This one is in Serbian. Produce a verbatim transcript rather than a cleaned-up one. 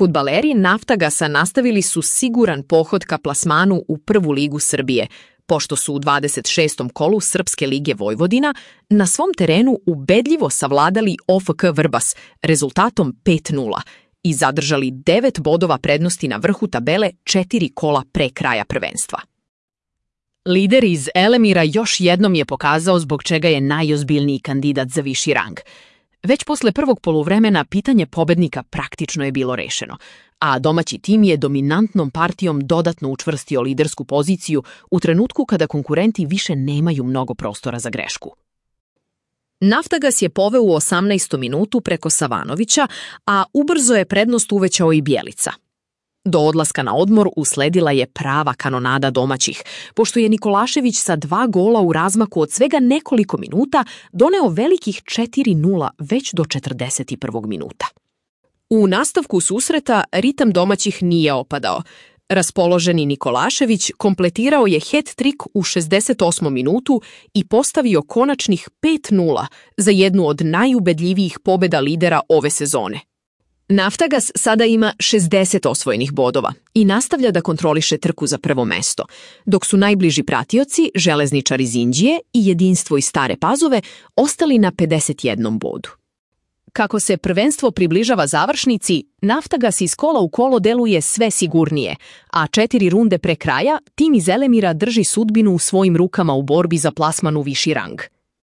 Fudbaleri Naftagasa nastavili su siguran pohod ka plasmanu u prvu ligu Srbije, pošto su u dvadeset šestom kolu Srpske lige Vojvodina na svom terenu ubedljivo savladali O F K Vrbas rezultatom pet nula i zadržali devet bodova prednosti na vrhu tabele četiri kola pre kraja prvenstva. Lider iz Elemira još jednom je pokazao zbog čega je najozbiljniji kandidat za viši rang. Već posle prvog poluvremena pitanje pobednika praktično je bilo rešeno, a domaći tim je dominantnom partijom dodatno učvrstio lidersku poziciju u trenutku kada konkurenti više nemaju mnogo prostora za grešku. Naftagas je poveo u osamnaestom minutu preko Savanovića, a ubrzo je prednost uvećao i Bjelica. Do odlaska na odmor usledila je prava kanonada domaćih, pošto je Nikolašević sa dva gola u razmaku od svega nekoliko minuta doneo velikih četiri nula već do četrdeset prvog minuta. U nastavku susreta ritam domaćih nije opadao. Raspoloženi Nikolašević kompletirao je hat-trik u šezdeset osmom minutu i postavio konačnih pet nula za jednu od najubedljivijih pobeda lidera ove sezone. Naftagas sada ima šezdeset osvojenih bodova i nastavlja da kontroliše trku za prvo mesto, dok su najbliži pratioci, Železničar iz Inđije i Jedinstvo iz Stare Pazove, ostali na pedeset jednom bodu. Kako se prvenstvo približava završnici, Naftagas iz kola u kolo deluje sve sigurnije, a četiri runde pre kraja tim iz Elemira drži sudbinu u svojim rukama u borbi za plasman u viši rang.